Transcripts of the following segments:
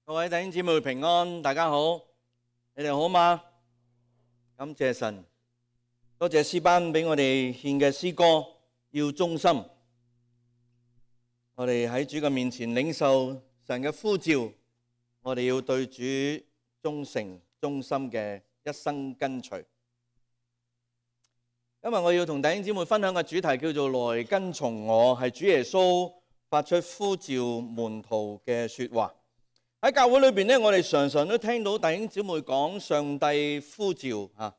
各位弟兄姊妹平安，大家好，你哋好嗎？感謝神，多謝詩班俾我哋獻嘅詩歌，要忠心。我哋喺主嘅面前領受神嘅呼召，我哋要對主忠誠、忠心嘅一生跟隨。今日我要同弟兄姊妹分享嘅主題叫做來跟從我，係主耶穌發出呼召門徒嘅說話。喺教會裏邊咧，我哋常常都聽到弟兄姊妹講上帝呼召啊，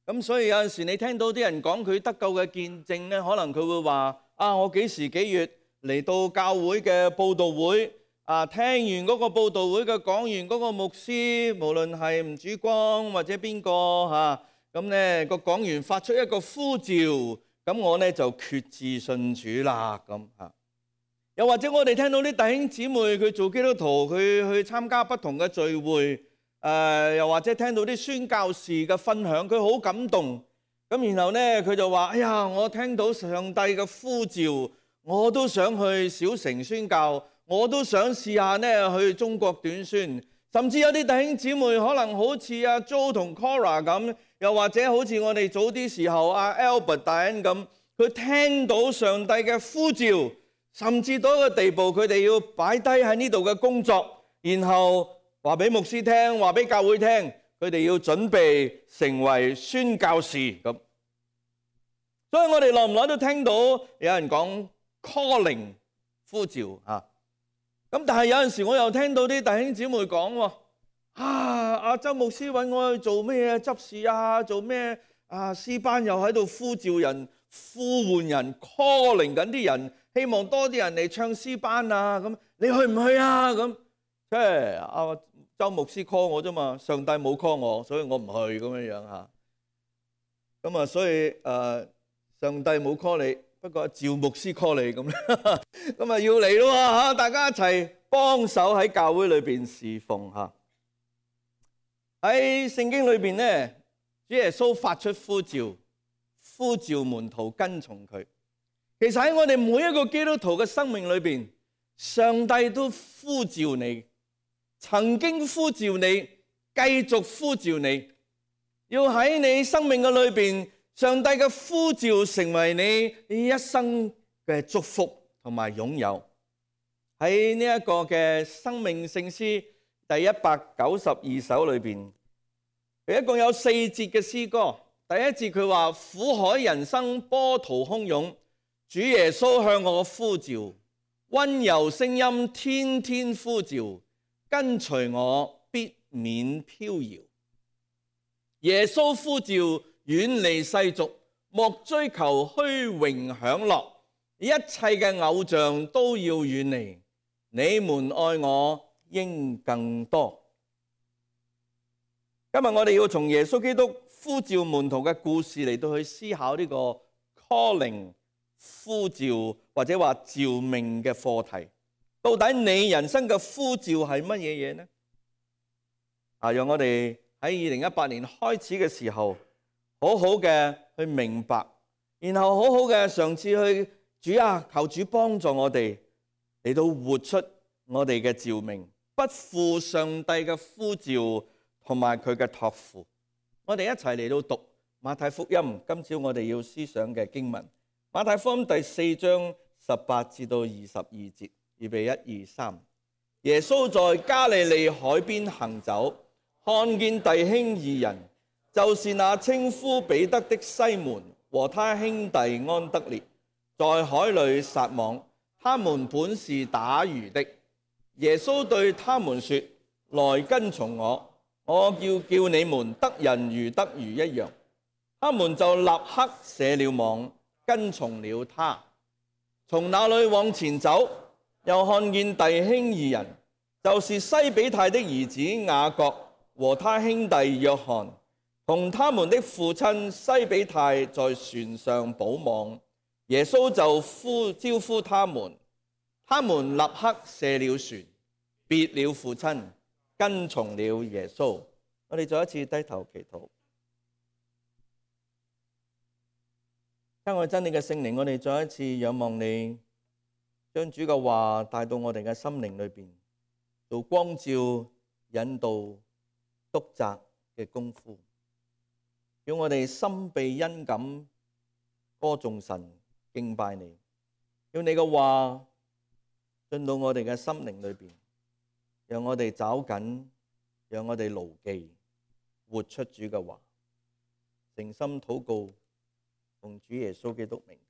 咁所以有陣時你聽到啲人講佢得救嘅見證咧，可能佢會話啊，我幾時幾月嚟到教會嘅佈道會啊，聽完嗰個佈道會嘅講員嗰個牧師，無論係吳主光或者邊個嚇，咁咧個講員發出一個呼召，咁我咧就決志信主啦咁嚇。又或者我哋聽到啲弟兄姊妹佢做基督徒，佢去參加不同嘅聚會，又或者聽到啲宣教士嘅分享，佢好感動。咁然後咧佢就話：哎呀，我聽到上帝嘅呼召，我都想去小城宣教，我都想試下咧去中國短宣。甚至有啲弟兄姊妹可能好似阿 Jo 同 Cora 咁，又或者好似我哋早啲時候阿 Albert 大恩咁，佢聽到上帝嘅呼召。甚至到一個地步，佢哋要擺低喺呢度嘅工作，然後話俾牧師聽，話俾教會聽，佢哋要準備成為宣教士咁。所以我哋耐唔耐都聽到有人講 calling 呼召啊。咁但係有陣時我又聽到啲弟兄姊妹講喎，阿周牧師揾我去做咩執事啊，做咩詩班又喺度呼召人、呼喚人 calling 緊啲人。希望多啲人嚟唱詩班啊！咁你去唔去啊？咁即係阿周牧師 call 我啫嘛，上帝冇 call我，所以我唔去咁樣樣嚇。咁啊，所以上帝冇 call 你，不過趙牧師 call 你咁，咁啊要嚟咯嚇！大家一齊幫手喺教會裏邊侍奉嚇。喺聖經裏邊咧，主耶穌發出呼召，呼召門徒跟從佢。其實喺我哋每一個基督徒嘅生命裏邊，上帝都呼召你，曾經呼召你，繼續呼召你，要喺你生命嘅裏邊，上帝嘅呼召成為你一生嘅祝福同埋擁有。喺呢一個嘅生命聖詩第192首裏邊，佢一共有4節嘅詩歌。第一節佢話：苦海人生波濤洶湧。主耶穌向我呼召，溫柔聲音天天呼召，跟隨我必免飄搖。耶穌呼召，遠離世俗，莫追求虛榮享樂，一切嘅偶像都要遠離。你們愛我應更多。今日我哋要從耶穌基督呼召門徒嘅故事嚟到去思考呢個 calling。呼召或者話召命嘅課題，到底你人生嘅呼召係乜嘢嘢呢？讓我哋喺2018年開始嘅時候，好好嘅去明白，然後好好嘅嘗試去求主幫助我哋嚟到活出我哋嘅召命，不負上帝嘅呼召同埋佢嘅託付。我哋一齊嚟到讀馬太福音，今朝我哋要思想嘅經文。馬太福音第4章18至到22節，預備1、2、3。耶穌在加利利海邊行走，看見弟兄2人，就是那稱呼彼得的西門和他兄弟安德烈，在海裏撒網。他們本是打魚的。耶穌對他們說：來跟從我，我要叫你們得人如得魚一樣。他們就立刻卸了網，跟從了他。從那裏往前走，又看見弟兄2人，就是西比泰的兒子雅各和他兄弟約翰，同他們的父親西比泰在船上補網。耶穌就招呼他們，他們立刻卸了船，別了父親，跟從了耶穌。我哋再一次低頭祈禱。親愛真理嘅聖靈，我哋再一次仰望你，將主嘅話帶到我哋嘅心靈裏邊。做光照、引導、督責嘅功夫，叫我哋心被恩感歌頌神、敬拜你，要你嘅話進到我哋嘅心靈裏邊，讓我哋找緊，讓我哋牢記，活出主嘅話，誠心禱告，奉主耶穌基督名求。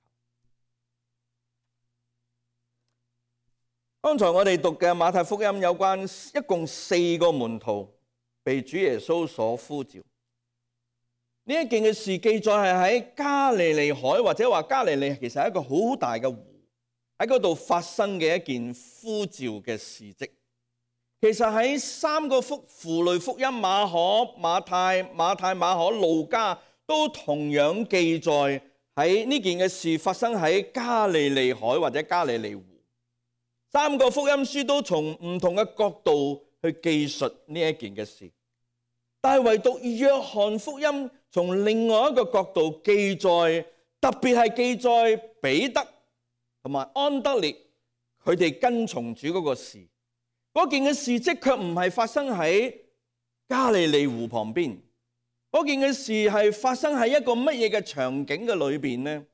剛才我哋讀嘅馬太福音有關一共4個門徒被主耶穌所呼召。呢一件嘅事記載係喺加利利海，或者話加利利其實係一個好大嘅湖，喺嗰度發生嘅一件呼召嘅事蹟。其實喺3個符類福音馬可、馬太、馬可、路加都同樣記載喺呢件嘅事發生喺加利利海或者加利利湖。3個福音書都從唔同嘅角度去記述呢一件嘅事，但係唯獨約翰福音從另外一個角度記載，特別係記載彼得同埋安德烈佢哋跟從主嗰個事。嗰件嘅事蹟卻唔係發生喺加利利湖旁邊，嗰件嘅事係發生喺一個乜嘢嘅場景嘅裏邊呢？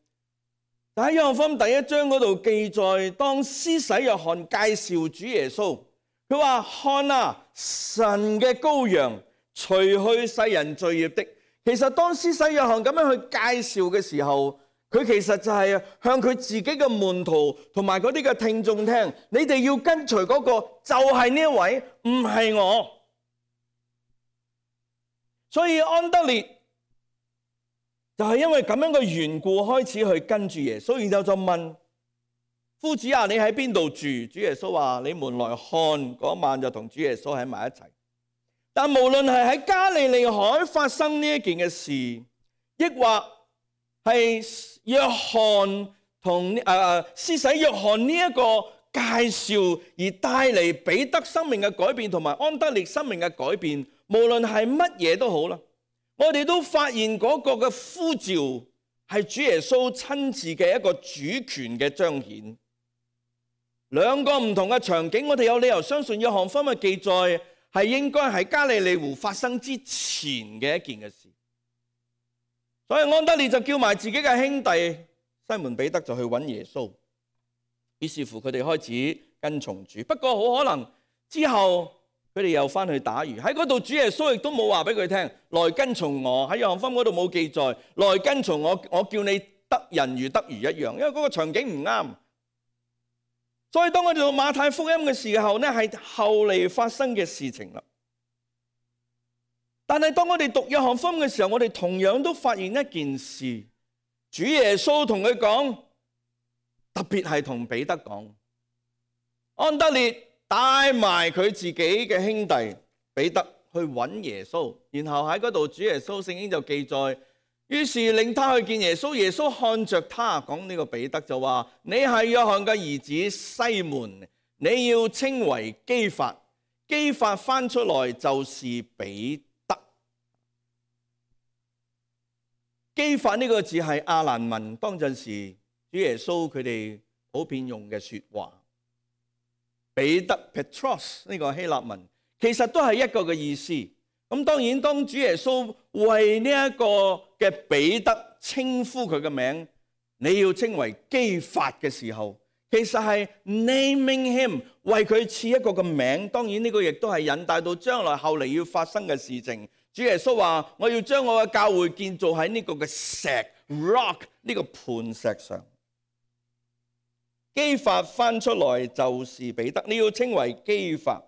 喺約翰福音第1章嗰度記載，當施洗約翰介紹主耶穌，佢話：看啊，神嘅羔羊，除去世人罪孽的。其實當施洗約翰咁樣去介紹嘅時候，佢其實就係向佢自己嘅門徒同埋嗰啲嘅聽眾聽，你哋要跟隨嗰個就係呢一位，唔係我。所以安德烈就係因為咁樣嘅緣故，開始去跟住耶穌，然後就問夫子啊，你喺邊度住？主耶穌話：你們來看。嗰晚就同主耶穌喺埋一齊。但無論係喺加利利海發生呢一件嘅事，抑或係約翰同施洗約翰呢一個介紹而帶嚟彼得生命嘅改變，同埋安德烈生命嘅改變，無論係乜嘢都好啦，我哋都發現嗰個嘅呼召係主耶穌親自嘅一個主權嘅彰顯。兩個唔同嘅場景，我哋有理由相信約翰福音嘅記載係應該喺加利利湖發生之前嘅一件嘅事。所以安德烈就叫埋自己嘅兄弟西門彼得就去揾耶穌，於是乎佢哋開始跟從主。不過好可能之後佢哋又翻去打魚，喺嗰度主耶穌亦都冇話俾佢聽，來跟從我。喺約翰福音嗰度冇記載，來跟從我，我叫你得人如得魚一樣，因為嗰個場景唔啱。所以當我哋讀馬太福音嘅時候呢，係後嚟發生嘅事情啦。但係當我哋讀約翰福音嘅時候，我哋同樣都發現一件事，主耶穌同佢講，特別係同彼得講，安德烈帶埋佢自己嘅兄弟彼得去揾耶穌，然後喺嗰度主耶穌聖經就記載，於是令他去見耶穌，耶穌看着他，講呢個彼得就話：你係約翰嘅兒子西門，你要稱為基法。基法翻出來就是彼得。基法呢個字係亞蘭文，當陣時主耶穌佢哋普遍用嘅說話。彼得 Petros 呢個希臘文其實都係一個嘅意思。咁當然當主耶穌為呢一個嘅彼得稱呼佢嘅名，你要稱為基法嘅時候，其實係 naming him， 為佢賜一個嘅名。當然呢個亦都係引帶到將來後嚟要發生嘅事情。主耶穌話：我要將我嘅教會建造喺呢個嘅石 rock 呢個磐石上。基法翻出來就是彼得，你要稱為基法。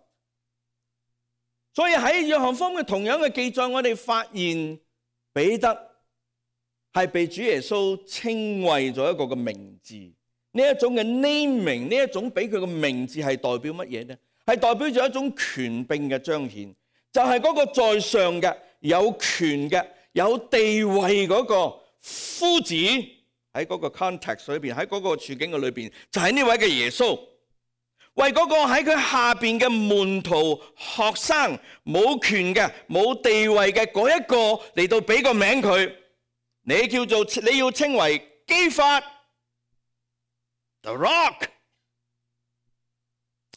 所以喺約翰福音嘅同樣嘅記載，我哋發現彼得係被主耶穌稱為咗一個嘅名字。呢一種嘅 naming， 呢一種俾佢嘅名字係代表乜嘢呢？係代表咗一種權柄嘅彰顯。就係嗰個在上嘅、有權嘅、有地位嗰個夫子，喺嗰個 context 裏邊，喺嗰個處境嘅裏邊，就係呢位嘅耶穌，為嗰個喺佢下邊嘅門徒、學生冇權嘅、冇地位嘅嗰一個嚟到俾個名佢，你要稱為基法 The Rock。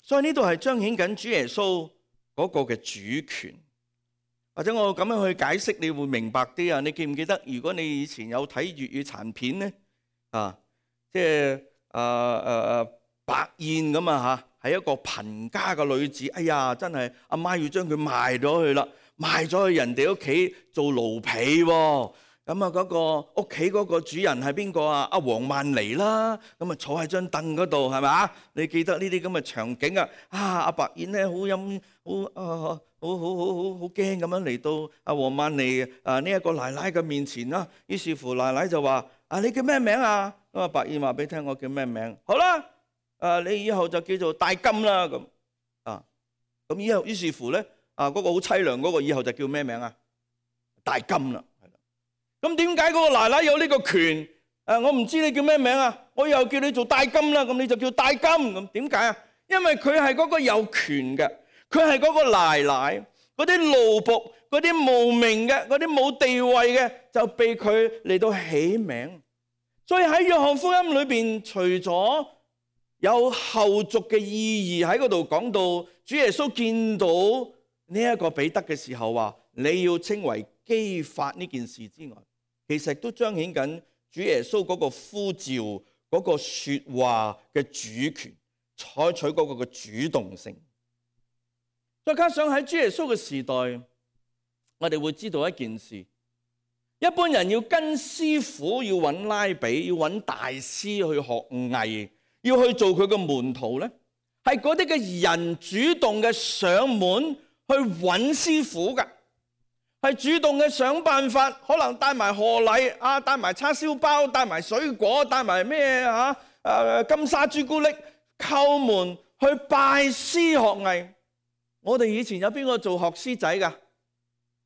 所以呢度係彰顯緊主耶穌嗰個嘅主權。或者我咁樣去解釋，你會明白啲啊！你記唔記得？如果你以前有睇粵語殘片咧，即係白燕咁啊嚇，係一個貧家嘅女子。哎呀，真係阿媽要將佢賣咗去啦，賣咗去人哋屋企做奴婢喎。咁啊，嗰個屋企嗰個主人係邊個啊？阿黃曼梨啦。咁啊，坐喺張凳嗰度係咪？你記得呢啲咁嘅場景啊？阿白燕咧好陰好驚咁樣嚟到阿黃曼梨呢一個奶奶嘅面前啦。於是乎奶奶就話：你叫咩名啊？咁啊，白燕話俾你聽我叫咩名？好啦，你以後就叫做大金啦。咁以後於是乎咧，嗰個好凄涼嗰個以後就叫咩名啊？大金啦。咁點解嗰個奶奶有呢個權？我唔知你叫咩名啊，我又叫你做大金啦，咁你就叫大金。咁點解啊？因為佢係嗰個有權嘅。佢係嗰個奶奶，嗰啲奴僕，嗰啲無名嘅，嗰啲冇地位嘅，就被佢嚟到起名。所以喺約翰福音裏邊，除咗有後續嘅意義喺嗰度講到，主耶穌見到呢一個彼得嘅時候話：你要稱為基法呢件事之外，其實都彰顯緊主耶穌嗰個呼召嗰個說話嘅主權，採取嗰個嘅主動性。再加上喺主耶穌嘅時代，我哋會知道一件事：一般人要跟師傅，要揾拉比，要揾大師去學藝，要去做佢嘅門徒咧，係嗰啲嘅人主動嘅上門去揾師傅㗎，係主動嘅想辦法，可能帶埋賀禮帶埋叉燒包，帶埋水果，帶埋咩金沙朱古力，叩門去拜師學藝。我哋以前有邊個做學師仔㗎？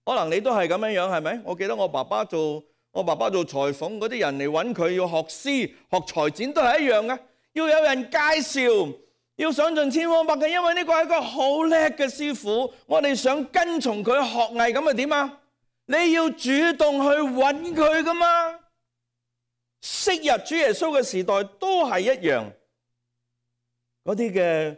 可能你都係咁樣樣，係咪？我記得我爸爸做裁縫，嗰啲人嚟揾佢要學師學裁剪都係一樣嘅，要有人介紹，要想盡千方百計，因為呢個係一個好叻嘅師傅，我哋想跟從佢學藝，咁啊點啊？你要主動去揾佢㗎嘛？昔日主耶穌嘅時代都係一樣，嗰啲嘅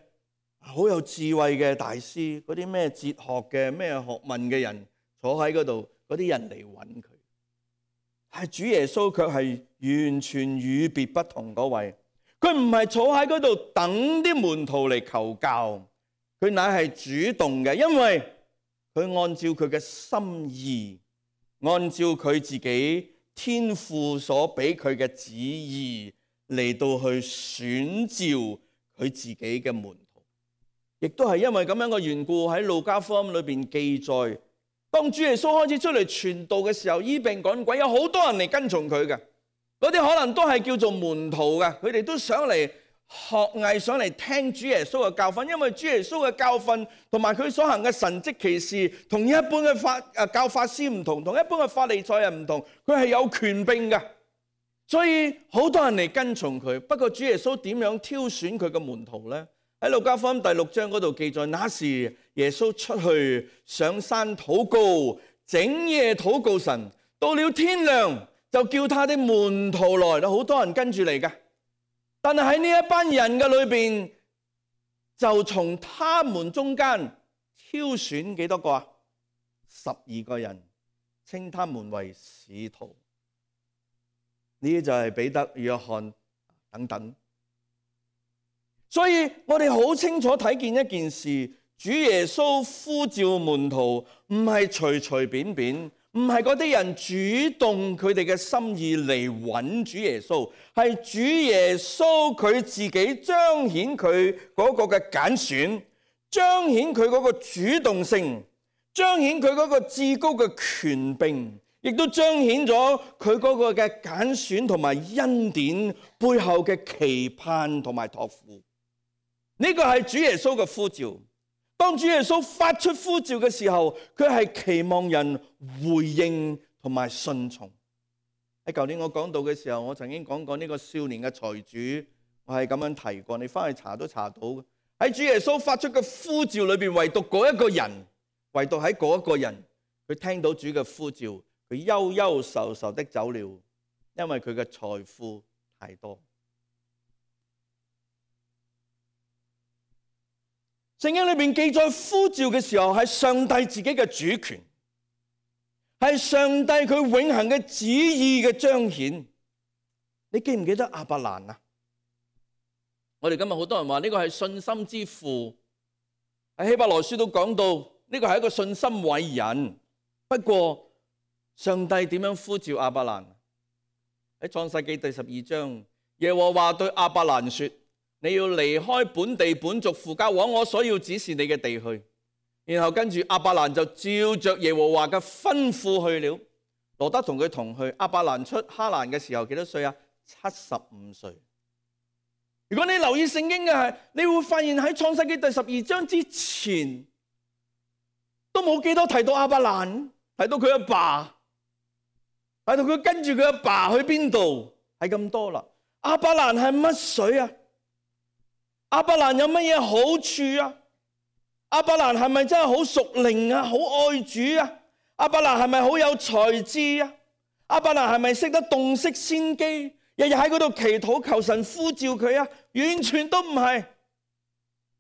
好有智慧嘅大師，嗰啲咩哲學嘅咩學問嘅人坐喺嗰度，嗰啲人嚟揾佢。係主耶穌卻係完全與別不同嗰位，佢唔係坐喺嗰度等啲門徒嚟求教，佢乃係主動嘅，因為佢按照佢嘅心意，按照佢自己天父所俾佢嘅旨意嚟到去選召佢自己嘅門徒。亦都係因為咁樣嘅緣故，喺路加福音裏邊記載，當主耶穌開始出嚟傳道嘅時候，醫病趕鬼，有好多人嚟跟從佢嘅。嗰啲可能都係叫做門徒嘅，佢哋都想嚟學藝，想嚟聽主耶穌嘅教訓。因為主耶穌嘅教訓同埋佢所行嘅神蹟奇事，同一般嘅教法師唔同，同一般嘅法利賽人唔同，佢係有權柄嘅。所以好多人嚟跟從佢。不過主耶穌點樣挑選佢嘅門徒呢？喺路加福音第6章嗰度記載，那時耶穌出去上山禱告，整夜禱告神，到了天亮就叫他的門徒來了，好多人跟住嚟嘅。但係喺呢一班人嘅裏邊，就從他們中間挑選幾多個啊？12個人，稱他們為使徒。呢啲就係彼得、約翰等等。所以我哋好清楚睇見一件事，主耶穌呼召門徒唔係隨隨便便，唔係嗰啲人主動佢哋嘅心意嚟揾主耶穌，係主耶穌佢自己彰顯佢嗰個嘅揀選，彰顯佢嗰個主動性，彰顯佢嗰個至高嘅權柄，亦都彰顯咗佢嗰個嘅揀選同埋恩典背後嘅期盼同埋託付。呢個係主耶穌嘅呼召。當主耶穌發出呼召嘅時候，佢係期望人回應同埋順從。喺舊年我講道嘅時候，我曾經講過呢個少年嘅財主，我係咁樣提過，你翻去查都查到嘅。喺主耶穌發出嘅呼召裏邊，唯獨嗰一個人，唯獨喺嗰一個人，佢聽到主嘅呼召，佢憂憂愁愁的走了，因為佢嘅財富太多。聖經裏面記載呼召嘅時候係上帝自己嘅主權，係上帝佢永恆嘅旨意嘅彰顯。你記唔記得亞伯蘭啊？我哋今日好多人話呢個係信心之父，喺希伯來書都講到呢個係一個信心偉人。不過上帝點樣呼召亞伯蘭？喺創世記第12章，耶和華對亞伯蘭說：你要離開本地本族父家，往我所要指示你嘅地去。然後跟住亞伯蘭就照着耶和華嘅吩咐去了。羅得同佢同去。亞伯蘭出哈蘭嘅時候幾多歲啊？75歲。如果你留意聖經嘅係，你會發現喺創世記第12章之前都冇幾多提到亞伯蘭，提到佢阿爸，提到佢跟住佢阿爸去邊度，係咁多啦。亞伯蘭係乜水啊？亞伯蘭有乜嘢好處啊？亞伯蘭係咪真係好屬靈啊？好愛主啊？亞伯蘭係咪好有才智啊？亞伯蘭係咪識得洞悉先機？日日喺嗰度祈禱求神呼召佢啊？完全都唔係。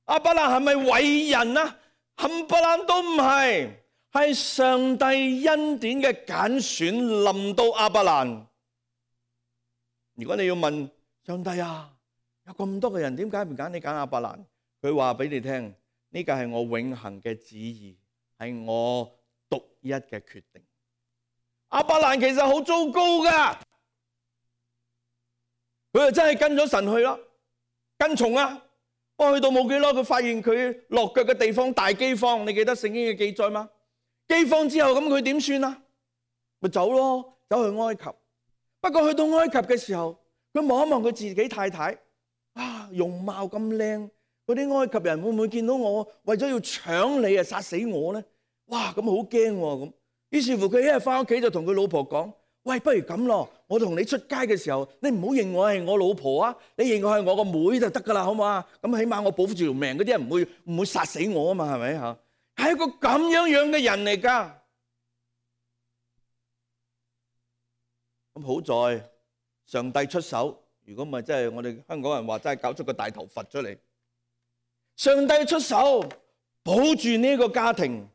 亞伯蘭係咪偉人啊？冚唪唥都唔係，係上帝恩典嘅揀選臨到亞伯蘭。如果你要問上帝啊，有咁多嘅人，點解唔揀你揀亞伯蘭？佢話俾你聽，呢個係我永恆嘅旨意，係我獨一嘅決定。亞伯蘭其實好糟糕噶，佢就真係跟咗神去啦，跟從啊。我去到冇幾耐，佢發現佢落腳嘅地方大饑荒。你記得聖經嘅記載嗎？饑荒之後咁佢點算啊？咪走咯，走去埃及。不過去到埃及嘅時候，佢望一望佢自己太太，啊，容貌咁靚，嗰啲埃及人會唔會見到我為咗要搶你啊，殺死我咧？哇，咁好驚喎咁。於是乎佢一日翻屋企就同佢老婆講：喂，不如咁咯，我同你出街嘅時候，你唔好認我係我老婆啊，你認我係我個妹就得噶啦，好唔好啊？咁起碼我保住條命，嗰啲人唔會殺死我啊嘛，係咪嚇？係一個咁樣嘅人嚟噶。咁好在上帝出手，如果唔係真係我哋香港人話真係搞出個大頭佛出嚟。上帝出手保住呢個家庭。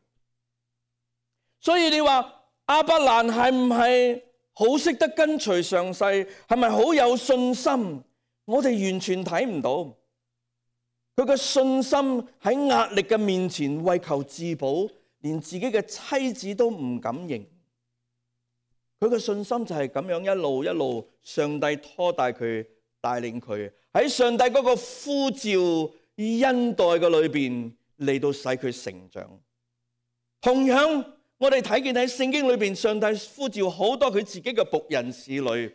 所以你話亞伯蘭係唔係好識得跟隨上帝？係咪好有信心？我哋完全睇唔到。佢嘅信心喺壓力嘅面前為求自保，連自己嘅妻子都唔敢認。佢嘅信心就係咁樣一路一路，上帝拖帶佢，帶領佢喺上帝嗰個呼召恩待嘅裏邊嚟到使佢成長。同樣，我哋睇見喺聖經裏邊，上帝呼召好多佢自己嘅僕人侍女，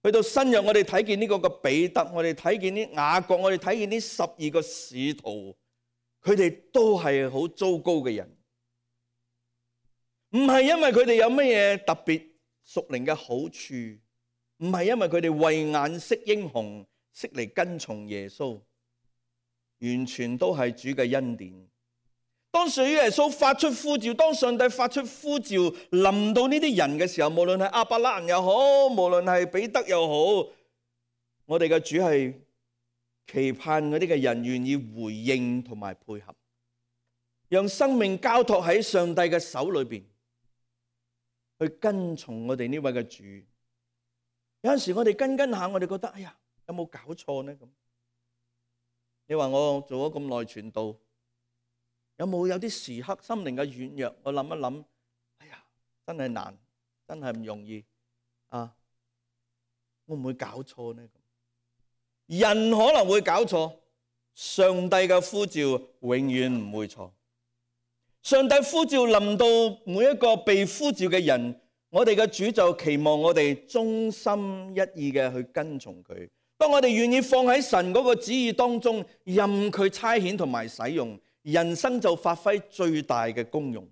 去到新約我哋睇見呢個嘅彼得，我哋睇見啲雅各，我哋睇見呢12個使徒，佢哋都係好糟糕嘅人，唔係因為佢哋有乜嘢特別屬靈嘅好處，唔係因為佢哋慧眼識英雄，識嚟跟從耶穌，完全都係主嘅恩典。當主耶穌發出呼召，當上帝發出呼召臨到呢啲人嘅時候，無論係亞伯蘭又好，無論係彼得又好，我哋嘅主係期盼嗰啲嘅人願意回應同埋配合，讓生命交託喺上帝嘅手裏邊，去跟從我哋呢位嘅主。有陣時我哋跟下，我哋覺得哎呀，有冇搞錯呢？咁你話我做咗咁耐傳道，有冇有啲時刻心靈嘅軟弱？我諗一諗，哎呀，真係難，真係唔容易啊！會唔會搞錯呢？人可能會搞錯，上帝嘅呼召永遠唔會錯。上帝呼召臨到每一個被呼召嘅人，我哋嘅主就期望我哋忠心一意嘅去跟從佢。當我哋願意放喺神嗰個旨意當中，任佢差遣同埋使用，人生就發揮最大嘅功用，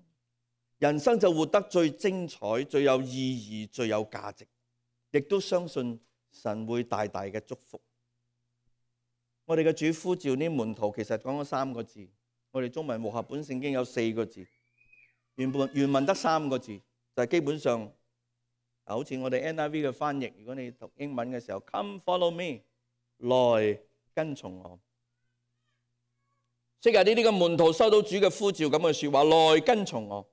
人生就活得最精彩、最有意義、最有價值，亦都相信神會大大嘅祝福。我哋嘅主呼召呢門徒，其實講咗3個字，我哋中文和合本聖經有4個字，原文得3個字，就係基本上好似我哋 NIV 嘅翻譯，如果你讀英文嘅時候 ，Come follow me， 來跟從我。昔日呢啲嘅門徒收到主嘅呼召咁嘅說話，來跟從我。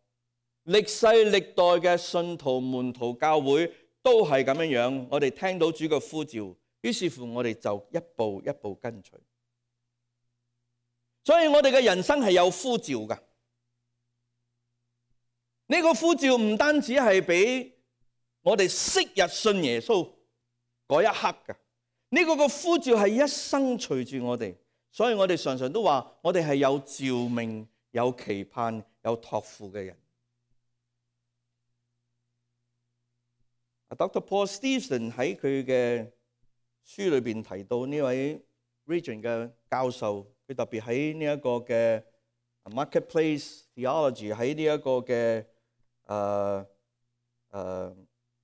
歷世歷代嘅信徒、門徒、教會都係咁樣樣。我哋聽到主嘅呼召，於是乎我哋就一步一步跟隨。所以我哋嘅人生係有呼召㗎。呢個呼召唔單止係俾我哋昔日信耶穌嗰一刻㗎，呢個呼召係一生隨住我哋。所以我哋常常都話，我哋係有召命、有期盼、有託付嘅人。Dr. Paul Stevenson 喺佢嘅書裏邊提到呢位 Regent 嘅教授，佢特別喺呢一個嘅 Marketplace Theology 喺呢一個嘅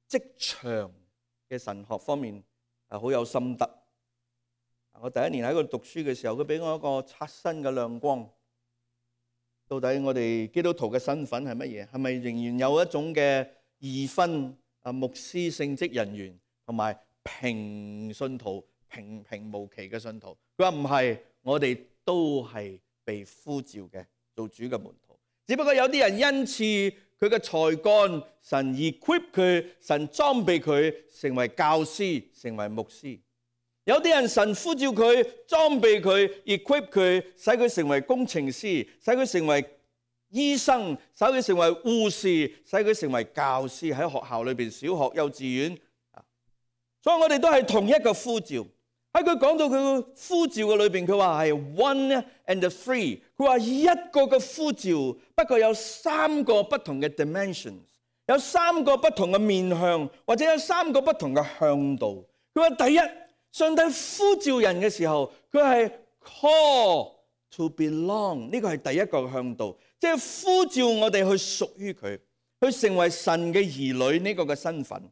職場嘅神學方面好有心得。我第一年喺嗰度讀書嘅時候，佢俾我一個刷新嘅亮光。到底我哋基督徒嘅身份係乜嘢？係咪仍然有一種嘅二分？牧師、聖職人員同埋平信徒、平無奇嘅信徒。佢話唔係，我哋都係被呼召嘅，做主嘅門徒。只不過有啲人因此佢嘅才幹，神 equip 佢，神裝備佢成為教師、成為牧師。有啲人神呼召佢，裝備佢 equip 佢，使佢成為工程師，使佢成為醫生，使佢成為護士，使佢成為教師，喺學校裏邊，小學、幼稚園。所以我哋都係同一個呼召。喺佢講到佢個呼召嘅裏邊，佢話係 one and three。佢話一個嘅呼召，不過有三個不同嘅 dimensions， 有三個不同嘅面向，或者有三個不同嘅向度。佢話第一，上帝呼召人嘅時候，佢係 call to belong， 呢個係第一個向度。即係呼召我哋去屬於佢，去成為神嘅兒女呢個嘅身份。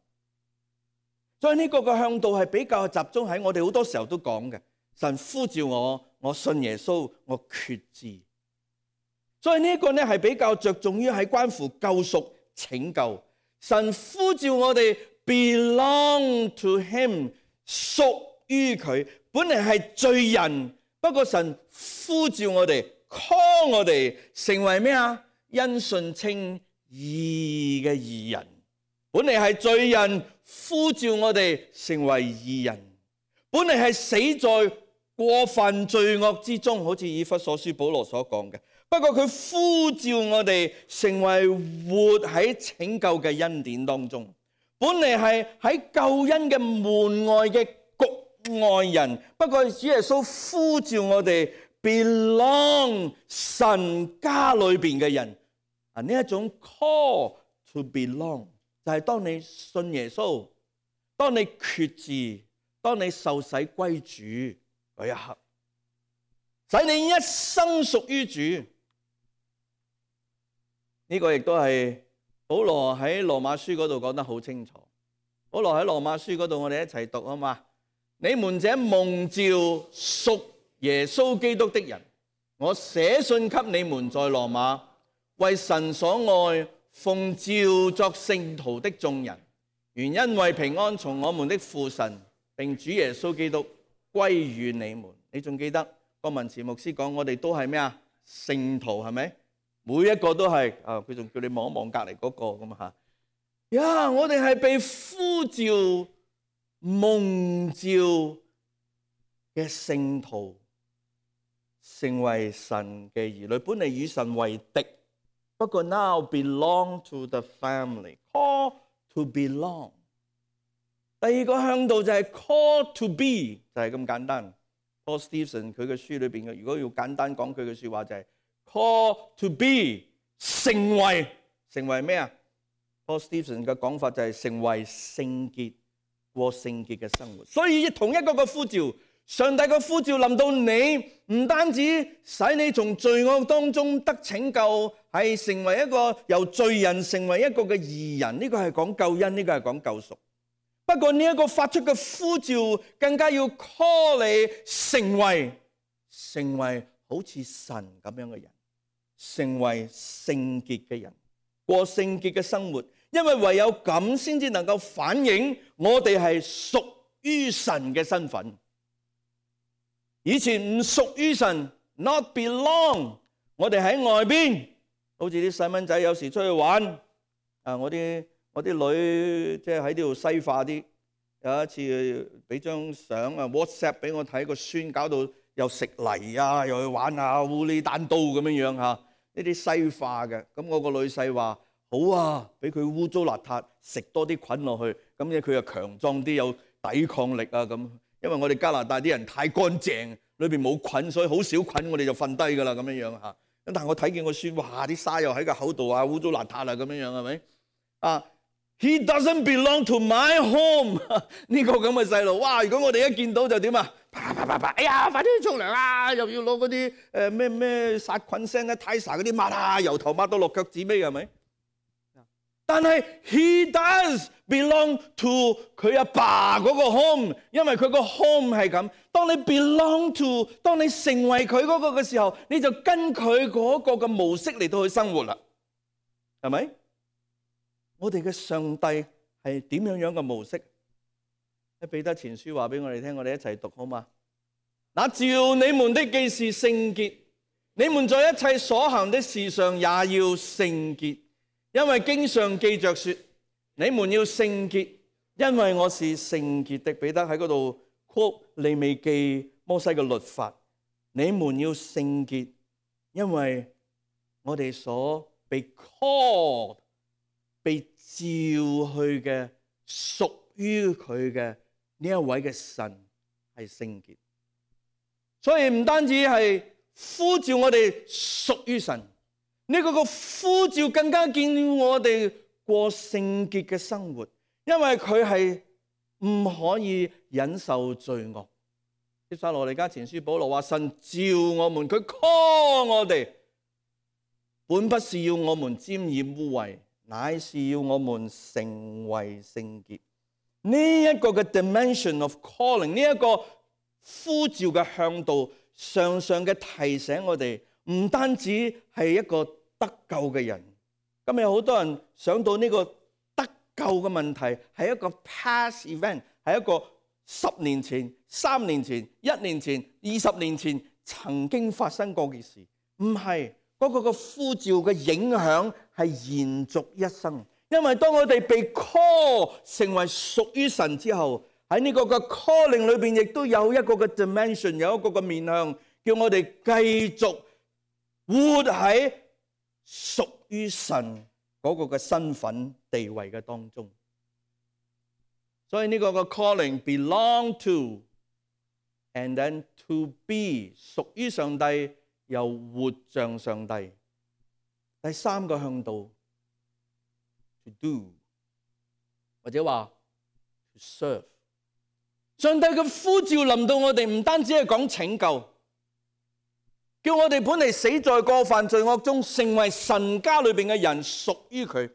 所以呢個嘅向度係比較集中喺我哋好多時候都講嘅，神呼召我，我信耶穌，我決志。所以呢個呢係比較着重於喺關乎救贖拯救。神呼召我哋 belong to him， 屬於佢。本嚟係罪人，不過神呼召我哋。call 我哋成為咩啊？因信稱義嘅義人。本嚟係罪人，呼召我哋成為義人。本嚟係死在過犯罪惡之中，好似以弗所書保羅所講嘅。不過佢呼召我哋成為活喺拯救嘅恩典當中。本嚟係喺救恩嘅門外嘅局外人，不過主耶穌呼召我哋belong 神家裏邊嘅人。呢一種 call to belong 就係當你信耶穌，當你決志，當你受洗歸主嗰一刻，使你一生屬於主。呢個亦都係保羅喺羅馬書嗰度講得好清楚。保羅喺羅馬書嗰度，我哋一齊讀啊嘛。你們這蒙召屬耶穌基督的人，我寫信給你們在羅馬，為神所愛，奉召作聖徒的眾人，原因為平安從我們的父神並主耶穌基督歸於你們。你仲記得郭文慈牧師講，我哋都係咩啊？聖徒係咪？每一個都係啊！佢仲叫你望一望隔離嗰個咁嚇。呀！我哋係被呼召、蒙召嘅聖徒，成為神嘅兒女。本嚟與神為敵，不過 now belong to the family， call to belong。第二個向度就係 call to be， 就係咁簡單。Paul Stevenson 佢嘅書裏邊嘅，如果要簡單講佢嘅説話就係 call to be， 成為咩啊？ Paul Stevenson 嘅講法就係成為聖潔，過聖潔嘅生活。所以同一個嘅呼召，上帝嘅呼召臨到你，唔單止使你從罪惡當中得拯救，係成為一個由罪人成為一個嘅義人。呢個係講救恩，呢個係講救贖。不過呢一個發出嘅呼召，更加要 call 你成為好似神咁樣嘅人，成為聖潔嘅人，過聖潔嘅生活。因為唯有咁先至能夠反映我哋係屬於神嘅身份。以前唔屬於神， not belong。我哋喺外邊，好似啲細蚊仔有時出去玩，我啲女即係喺呢度西化啲。有一次俾張相WhatsApp 俾我睇，個孫搞到又食泥啊，又去玩下烏哩單刀咁樣樣嚇，呢啲西化嘅。咁我個女婿話好啊，俾佢污糟邋遢，食多啲菌落去，咁咧佢又強壯啲，有抵抗力啊咁。因為我哋加拿大啲人太乾淨，裏邊冇菌，所以好少菌，我哋就瞓低㗎啦咁樣樣嚇。咁但係我睇見個孫，哇！啲沙又喺個口度啊，污糟邋遢啦咁樣樣係咪啊？He doesn't belong to my home 呢個咁嘅細路，哇！如果我哋一見到就點啊？啪啪啪啪！哎呀，快啲去沖涼啊！又要攞嗰啲咩殺菌聲咧、泰莎嗰啲抹啊，由頭抹到落腳趾尾係咪？但係 he does belong to 佢阿爸嗰個 home， 因為佢個 home 係咁。當你 belong to， 當你成為佢嗰個嘅時候，你就跟佢嗰個嘅模式嚟到去生活啦，係咪？我哋嘅上帝係點樣嘅模式？喺彼得前書話俾我哋聽，我哋一齊讀好嗎？那召你們的既是聖潔，你們在一切所行的事上也要聖潔。因為經上記着說，你們要聖潔，因為我是聖潔的。彼得喺嗰度 quote 利未記摩西嘅律法，你們要聖潔，因為我哋所被 call 被召去嘅屬於佢嘅呢一位嘅神係聖潔，所以唔單止係呼召我哋屬於神。呢個呼召更加建議我哋過聖潔嘅生活，因為佢係唔可以忍受罪惡。帖撒羅尼迦前書保羅話：神召我們，佢 call 我哋，本不是要我們沾染污穢，乃是要我們成為聖潔。呢一個嘅 dimension of calling， 呢一個呼召嘅向度，常常嘅提醒我哋。唔單止係一個得救嘅人，今日好多人想到呢個得救嘅問題係一個 past event， 係一個10年前、3年前、1年前、20年前曾經發生過嘅事。唔係，嗰個嘅呼召嘅影響係延續一生。因為當我哋被 call 成為屬於神之後，喺呢個嘅 calling 裏邊亦都有一個嘅 dimension， 有一個嘅面向，叫我哋繼續活喺屬於神嗰個嘅身份地位嘅當中，所以呢個嘅 calling belong to and then to be 屬於上帝又活像上帝。第三個向度 to do 或者話 to serve。上帝嘅呼召臨到我哋，唔單止係講拯救。叫我哋本嚟死在過犯罪惡中，成為神家裏邊嘅人，屬於佢。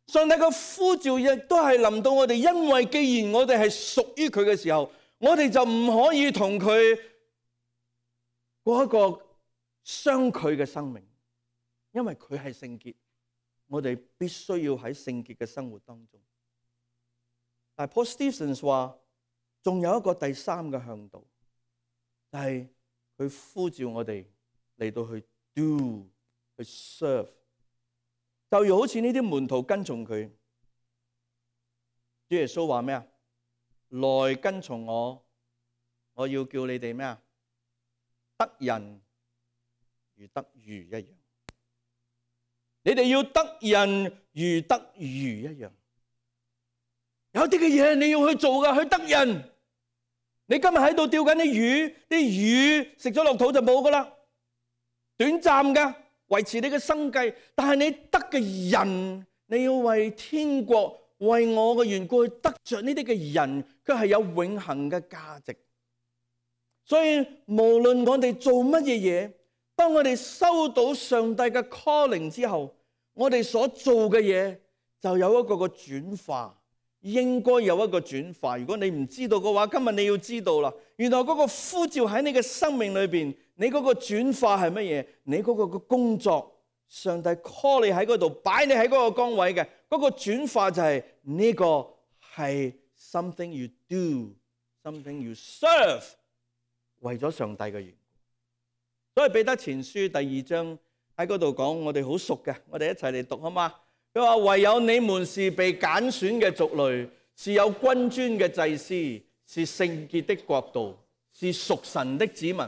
上帝嘅呼召亦都係臨到我哋，因為既然我哋係屬於佢嘅時候，我哋就唔可以同佢過一個相距嘅生命，因為佢係聖潔，我哋必須要喺聖潔嘅生活當中。但係 Paul Stevens 話，仲有一個第三個向度，就係佢呼召我哋嚟到去 do 去 serve， 就如好似呢啲門徒跟從佢，主耶穌話咩啊？來跟從我，我要叫你哋咩啊？得人如得魚一樣，你哋要得人如得魚一樣。有啲嘅嘢你要去做噶，去得人。你今日喺度釣緊啲魚，啲魚食咗落肚就冇噶啦，短暫噶，維持你嘅生計。但係你得嘅人，你要為天國、為我嘅緣故去得着呢啲嘅人，佢係有永恆嘅價值。所以無論我哋做乜嘢嘢，當我哋收到上帝嘅 calling 之後，我哋所做嘅嘢就有一個個轉化。應該有一個轉化。如果你唔知道嘅話，今日你要知道啦。原來嗰個呼召喺你嘅生命裏邊，你嗰個轉化係乜嘢？你嗰個嘅工作，上帝 call 你喺嗰度，擺你喺嗰個崗位嘅嗰個轉化就係呢個係 something you do，something you serve， 為咗上帝嘅緣故。所以彼得前書第2章喺嗰度講，我哋好熟嘅，我哋一齊嚟讀好嗎？佢話唯有你們是被揀選嘅族類，是有君尊嘅祭司，是聖潔的國度，是屬神的子民，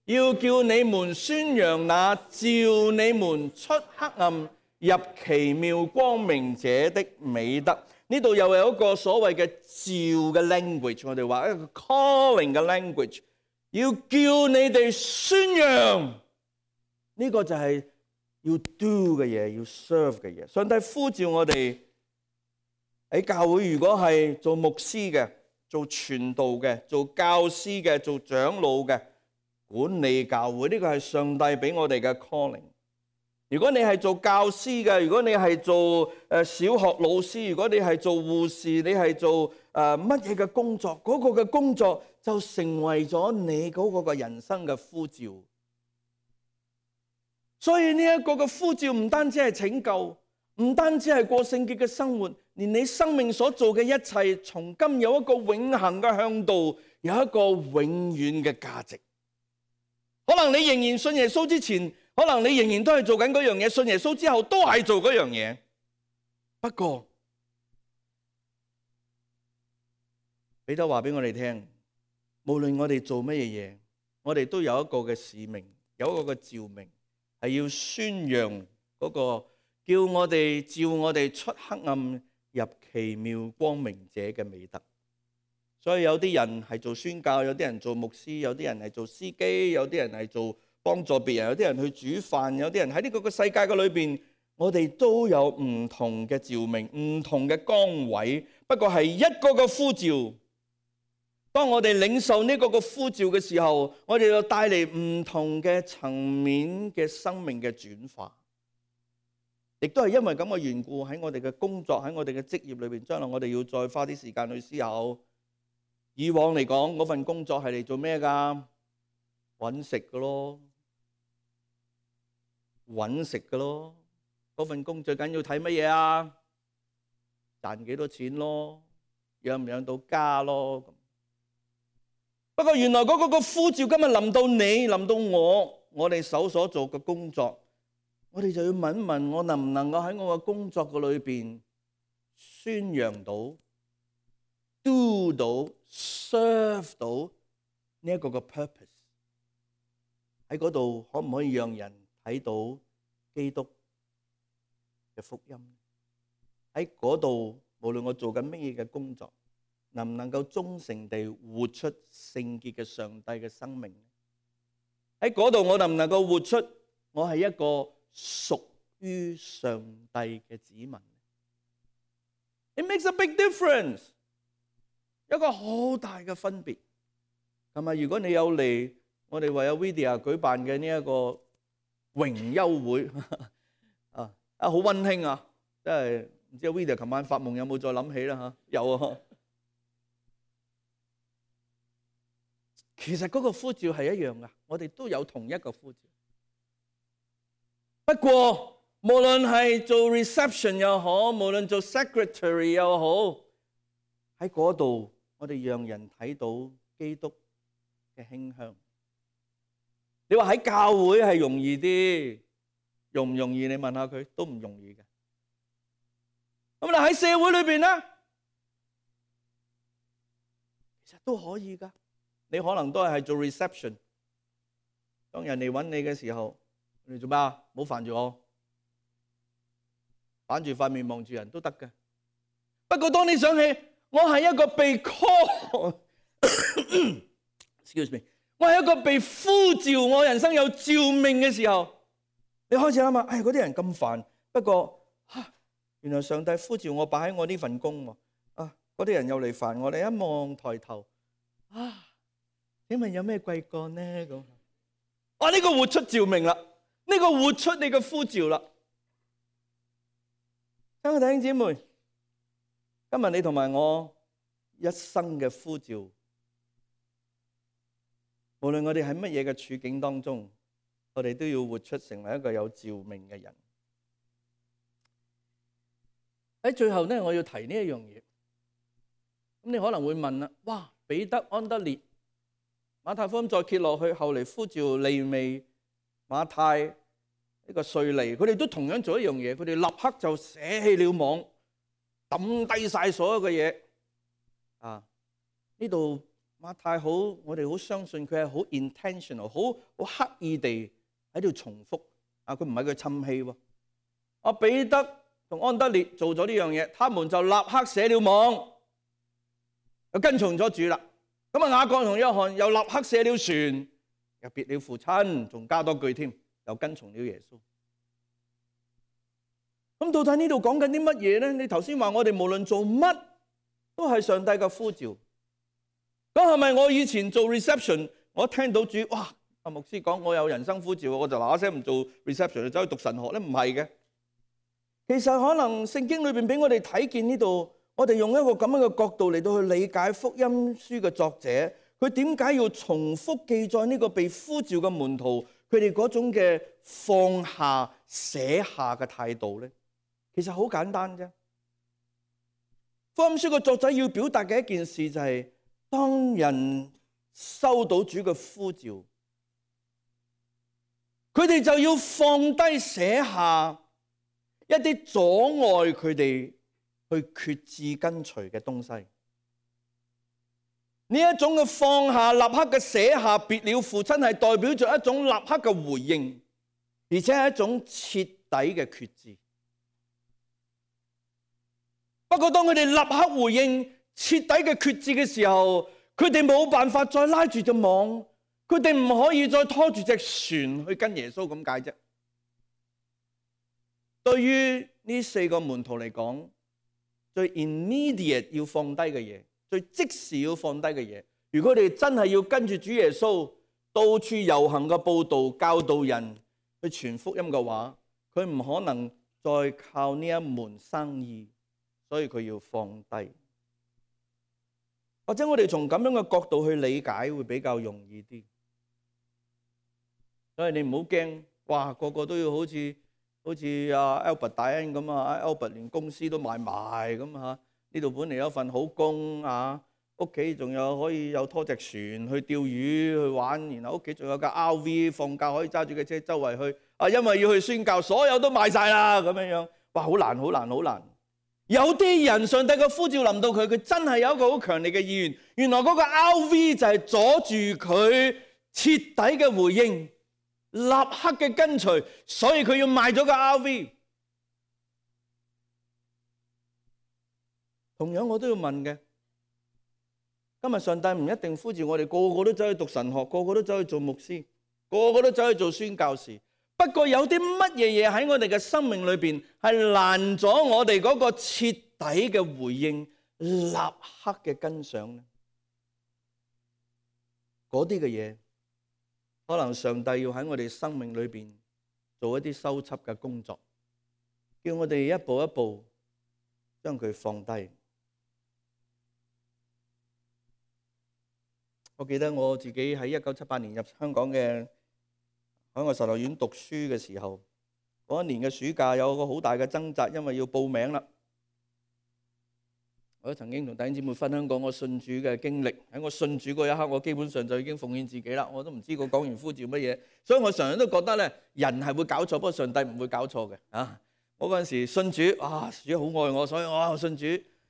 要叫你們宣揚那召你們出黑暗入奇妙光明者的美德。呢度又有一個所謂嘅召嘅 language， 我哋話一個 calling 嘅 language， 要叫你哋宣揚，呢個就係要 do 嘅嘢，要 serve 嘅嘢。上帝呼召我哋喺教會，如果係做牧師嘅、做傳道嘅、做教師嘅、做長老嘅、管理教會，呢個係上帝俾我哋嘅 calling。如果你係做教師嘅，如果你係做小學老師，如果你係做護士，你係做乜嘢嘅工作，嗰個嘅工作就成為咗你嗰個嘅人生嘅呼召。所以呢一個嘅呼召唔單止係拯救，唔單止係過聖潔嘅生活，連你生命所做嘅一切，從今有一個永恆嘅向導，有一個永遠嘅價值。可能你仍然信耶穌之前，可能你仍然都係做緊嗰樣嘢，信耶穌之後都係做嗰樣嘢。不過彼得話俾我哋聽，無論我哋做乜嘢，我哋都有一個嘅使命，有一個嘅召命，係要宣揚嗰個叫我哋召我哋出黑暗入奇妙光明者嘅美德。所以有啲人係做宣教，有啲人做牧師，有啲人係做司機，有啲人係做幫助別人，有啲人去煮飯，有啲人喺呢個世界嘅裏邊，我哋都有唔同嘅召命，唔同嘅崗位，不過係一個個呼召。當我哋領受呢個個呼召嘅時候，我哋就帶嚟唔同嘅層面嘅生命嘅轉化。亦都係因為咁嘅緣故，喺我哋嘅工作，喺我哋嘅職業裏邊，將來我哋要再花啲時間去思考。以往嚟講，嗰份工作係嚟做咩㗎？搵食㗎咯，搵食㗎咯。嗰份工最緊要睇乜嘢啊？賺幾多錢咯，養唔養到家咯。不過原來嗰個呼召今日臨到你，臨到我哋手所做嘅工作，我哋就要問一問，我能唔能夠喺我嘅工作嘅裏邊宣揚到、do 到、serve 到呢一個嘅 purpose？ 喺嗰度可唔可以讓人睇到基督嘅福音？喺嗰度無論我做緊乜嘢嘅工作，能唔能夠忠誠地活出聖潔嘅上帝嘅生命？喺嗰度我能唔能夠活出我係一個屬於上帝嘅子民？ It makes a big difference， 一個好大嘅分別。係咪？如果你有嚟我哋為有 Vidya 舉辦嘅呢一個榮休會好溫馨啊！真係唔知 Vidya 琴晚發夢有冇再諗起啦嚇？有啊。其實嗰個呼召係一樣噶，我哋都有同一個呼召。不過無論係做 reception 又好，無論做 secretary 又好，喺嗰度我哋讓人睇到基督嘅馨香。你話喺教會係容易啲，容唔容易？你問下佢都唔容易嘅。咁你喺社會裏邊咧，其實都可以噶。你可能都係做 reception， 當人哋揾你嘅時候，你做咩啊？唔好煩住我，反住塊面望住人都得嘅。不過當你想起我係一個被 call，excuse me， 我係一個被呼召，我人生有召命嘅時候，你開始諗下，嗰啲人咁煩，不過原來上帝呼召我擺喺我呢份工喎，嗰啲人又嚟煩我，你一望抬頭，請問有咩貴幹呢？咁呢個活出召命啦，呢個活出你嘅呼召啦。親愛弟兄姊妹，今日你同埋我一生嘅呼召，無論我哋喺乜嘢嘅處境當中，我哋都要活出成為一個有召命嘅人。喺最後呢，我要提呢一樣嘢。咁你可能會問啦，哇，彼得、安德烈、馬太福音再揭落去，後嚟呼召利未馬太呢個稅吏，佢哋都同樣做一樣嘢，佢哋立刻就捨棄了網，抌低晒所有嘅嘢。呢度馬太好，我哋好相信佢係好 intentional， 好刻意地喺度重複。佢唔係佢氹氣喎。彼得同安德烈做咗呢樣嘢，他們就立刻捨了網，又跟從咗主啦。咁雅各同約翰又立刻捨了船，又別了父親，仲加多句添，又跟從了耶穌。咁到底呢度講緊啲乜嘢咧？你頭先話我哋無論做乜都係上帝嘅呼召。咁係咪我以前做 reception， 我聽到主哇牧師講我有人生呼召，我就嗱嗱聲唔做 reception 就走去讀神學咧？唔係嘅。其實可能聖經裏邊俾我哋睇見呢度，我哋用一個咁樣嘅角度嚟到去理解福音書嘅作者，佢點解要重複記載呢個被呼召嘅門徒佢哋嗰種嘅放下捨下嘅態度咧？其實好簡單啫。福音書嘅作者要表達嘅一件事就係，當人收到主嘅呼召，佢哋就要放低捨下一啲阻礙佢哋去決志跟隨嘅東西。呢一種嘅放下、立刻嘅捨下、別了父親，係代表着一種立刻嘅回應，而且係一種徹底嘅決志。不過當佢哋立刻回應、徹底嘅決志嘅時候，佢哋冇辦法再拉住隻網，佢哋唔可以再拖住隻船去跟耶穌咁解啫。對於呢4個門徒嚟講，最 immediate 要放低嘅嘢，最即時要放低嘅嘢，如果佢哋真係要跟住主耶穌到處遊行嘅報道、教導人去傳福音嘅話，佢唔可能再靠呢一門生意，所以佢要放低。或者我哋從咁樣嘅角度去理解會比較容易啲。所以你唔好驚，哇個個都要好似Albert 大恩咁Albert 連公司都賣埋咁嚇。呢度本嚟有一份好工屋企仲有可以有拖隻船去釣魚去玩，然後屋企仲有架 RV， 放假可以揸住架車周圍去。因為要去宣教，所有都賣晒啦咁樣樣。哇，好難好難好難。有啲人上帝嘅呼召臨到佢，佢真係有一個好強烈嘅意願。原來嗰個 RV 就係阻住佢徹底嘅回應，立刻嘅跟隨，所以佢要賣咗個 RV。同樣我都要問嘅，今日上帝唔一定呼召我哋個個都走去讀神學，個個都走去做牧師，個個都走去做宣教士。不過有啲乜嘢嘢喺我哋嘅生命裏邊係攔咗我哋嗰個徹底嘅回應、立刻嘅跟上呢？嗰啲嘅嘢，可能上帝要喺我哋生命裏邊做一啲修葺嘅工作，叫我哋一步一步將佢放低。我記得我自己喺1978年入香港嘅海外神學院讀書嘅時候，嗰一年嘅暑假有個好大嘅掙扎，因為要報名啦。我都曾經同弟兄姊妹分享過我信主嘅經歷。喺我信主嗰一刻，我基本上就已經奉獻自己啦。我都唔知個講完呼召乜嘢，所以我常常都覺得咧，人係會搞錯，不過上帝唔會搞錯嘅。我嗰陣時信主，主好愛我，所以我信主。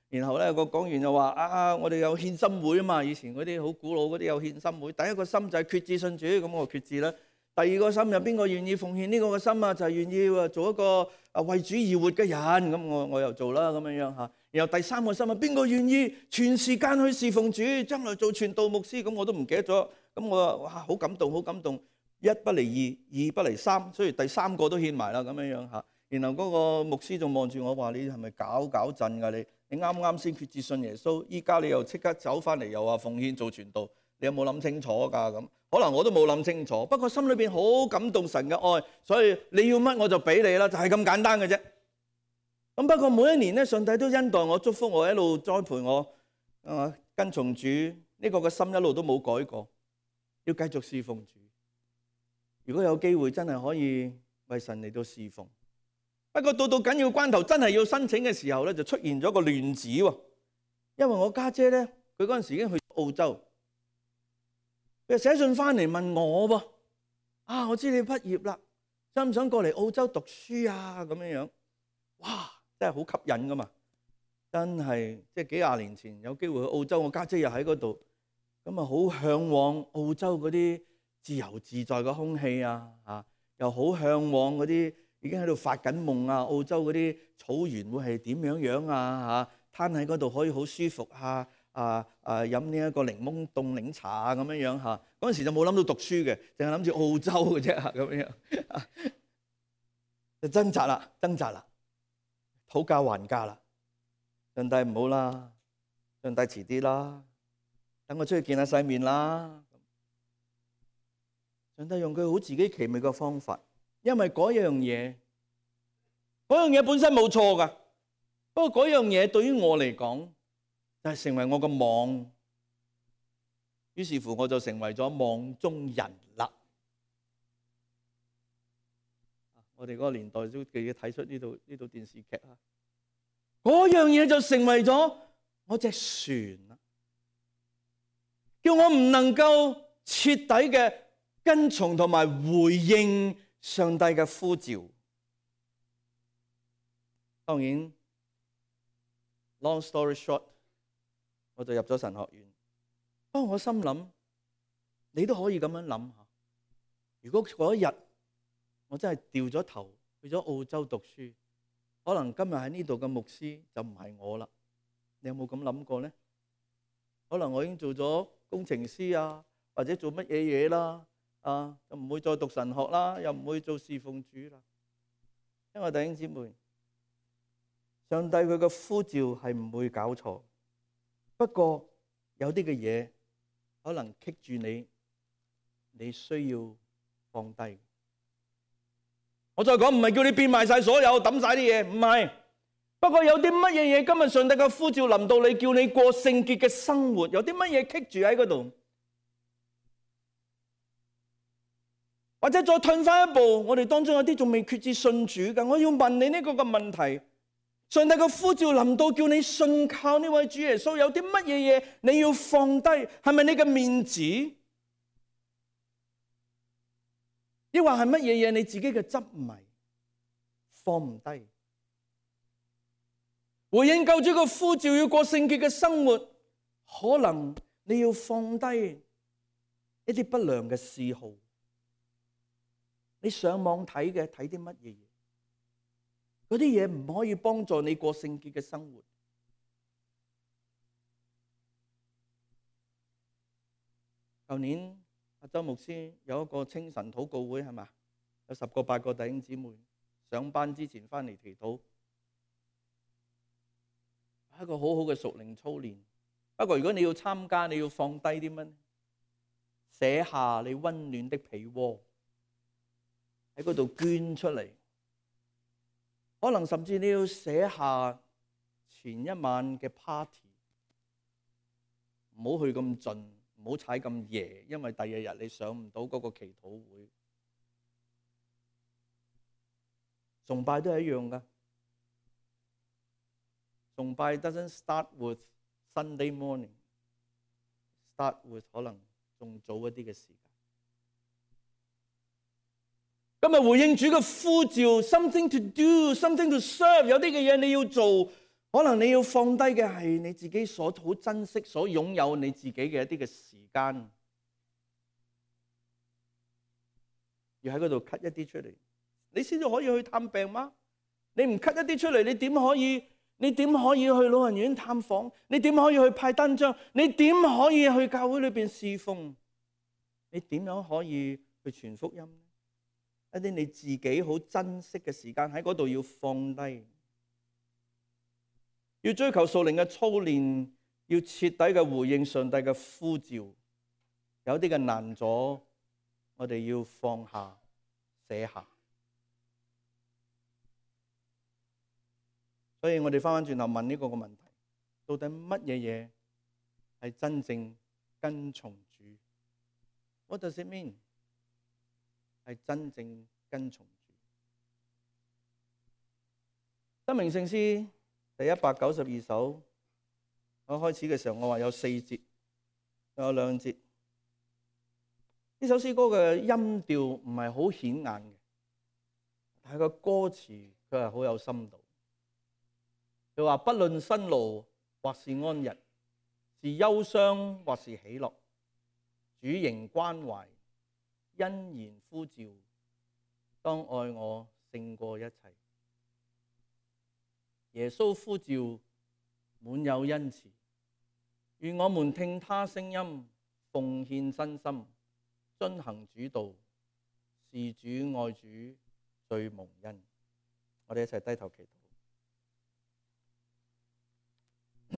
然後咧個講員就話我哋有獻心會啊嘛，以前嗰啲好古老嗰啲有獻心會。第一個心就係決志信主，咁我決志啦。第二個心有邊個願意奉獻呢個嘅心啊？就係願意做一個為主而活嘅人，咁我又做啦咁樣樣嚇。然後第三個心啊，邊個願意全時間去侍奉主，將來做傳道牧師？咁我都唔記得咗。咁我話好感動，好感動。一不離二，二不離三，所以第三個都獻埋啦咁樣樣嚇。然後嗰個牧師仲望住我話：你係咪搞震㗎？你啱啱先決志信耶穌，依家你又即刻走翻嚟又話奉獻做傳道，你有冇諗清楚㗎？咁可能我都冇諗清楚，不過心裏邊好感動神嘅愛，所以你要乜我就俾你啦，就係咁簡單嘅啫。咁不過每一年咧，上帝都恩待我、祝福我，一路栽培我，跟從主呢個嘅心一路都冇改過，要繼續侍奉主。如果有機會真係可以為神嚟到侍奉，不過到緊要關頭真係要申請嘅時候咧，就出現咗個亂子喎。因為我家姐咧，佢嗰陣時已經去澳洲，佢就寫信翻嚟問我噃，啊，我知你畢業啦，想唔想過嚟澳洲讀書啊？咁樣樣，哇，真係好吸引噶嘛！真係即係幾廿年前有機會去澳洲，我家姐又喺嗰度，咁啊好向往澳洲嗰啲自由自在嘅空氣啊，又好向往嗰啲已經喺度發緊夢啊，澳洲嗰啲草原會係點樣樣啊？攤喺嗰度可以好舒服啊！飲呢一個檸檬凍檸茶啊，咁樣樣嚇。嗰陣時就冇諗到讀書嘅，淨係諗住澳洲嘅啫，咁樣樣就掙扎啦，討價還價啦。上帝唔好啦，上帝遲啲啦，等我出去見下世面啦。上帝用佢好自己奇妙嘅方法，因為嗰樣嘢本身冇錯噶，不過嗰樣嘢對於我嚟講就係成為我個網，於是乎我就成為咗網中人啦。我哋嗰個年代都記得睇出呢套電視劇啊，嗰樣嘢就成為咗我隻船啦，叫我唔能夠徹底嘅跟從同埋回應上帝嘅呼召。當然 ，long story short， 我就入咗神學院。不過我心諗，你都可以咁樣諗下，如果嗰一日我真係掉咗頭去咗澳洲讀書，可能今日喺呢度嘅牧師就唔係我啦。你有冇咁諗過呢？可能我已經做咗工程師啊，或者做乜嘢嘢啦，就唔會再讀神學啦，又唔會做侍奉主啦。因為弟兄姊妹，上帝佢嘅呼召係唔會搞錯，不過有啲嘅嘢可能棘住你，你需要放低。我再講，唔係叫你變賣晒所有，抌晒啲嘢，唔係。不過有啲乜嘢嘢，今日上帝嘅呼召臨到你，叫你過聖潔嘅生活，有啲乜嘢棘住喺嗰度？或者再退翻一步，我哋當中有啲仲未決志信主嘅，我要問你呢個嘅問題：上帝嘅呼召臨到，叫你信靠呢位主耶穌，有啲乜嘢嘢你要放低？係咪你嘅面子？抑或係乜嘢嘢你自己嘅執迷放唔低？回應救主嘅呼召，要過聖潔嘅生活，可能你要放低一啲不良嘅嗜好。你上網睇啲乜嘢嘢？嗰啲嘢唔可以幫助你過聖潔嘅生活。舊年阿周牧師有一個清晨禱告會，係嘛？有10個8個弟兄姊妹上班之前翻嚟祈禱，係一個好好嘅屬靈操練。不過如果你要參加，你要放低啲乜？寫下你溫暖的被窩，喺嗰度捐出嚟。可能甚至你要寫下前一晚嘅 party， 唔好去咁盡，唔好踩咁夜，因為第二日你上唔到嗰個祈禱會。崇拜都係一樣噶，崇拜 doesn't start with Sunday morning，start with 可能仲早一啲嘅時間。今日回應主嘅呼召 ，something to do，something to serve， 有啲嘅嘢你要做，可能你要放低嘅係你自己所好珍惜、所擁有你自己嘅一啲嘅時間，要喺嗰度 cut 一啲出嚟，你先至可以去探病嗎？你唔 cut 一啲出嚟，你點可以去老人院探訪？你點可以去派單張？你點可以去教會裏邊侍奉？你點樣可以去傳福音呢？一啲你自己好珍惜嘅時間喺嗰度要放低，要追求屬靈嘅操練，要徹底嘅回應上帝嘅呼召。有啲嘅難阻，我哋要放下、寫下。所以我哋翻轉頭問呢個問題：到底乜嘢嘢係真正跟從主？What does it mean？係真正跟從主。申命聖詩第192首，我開始嘅時候我話有4節，有2節。呢首詩歌嘅音調唔係好顯眼嘅，但係個歌詞佢係好有深度。佢話：不論辛勞或是安逸，是憂傷或是喜樂，主仍關懷，欣然呼召，當愛我勝過一切。耶穌呼召滿有恩慈，願我們聽他聲音，奉獻身心，遵行主道，是主愛主最蒙恩。我哋一齊低頭祈禱。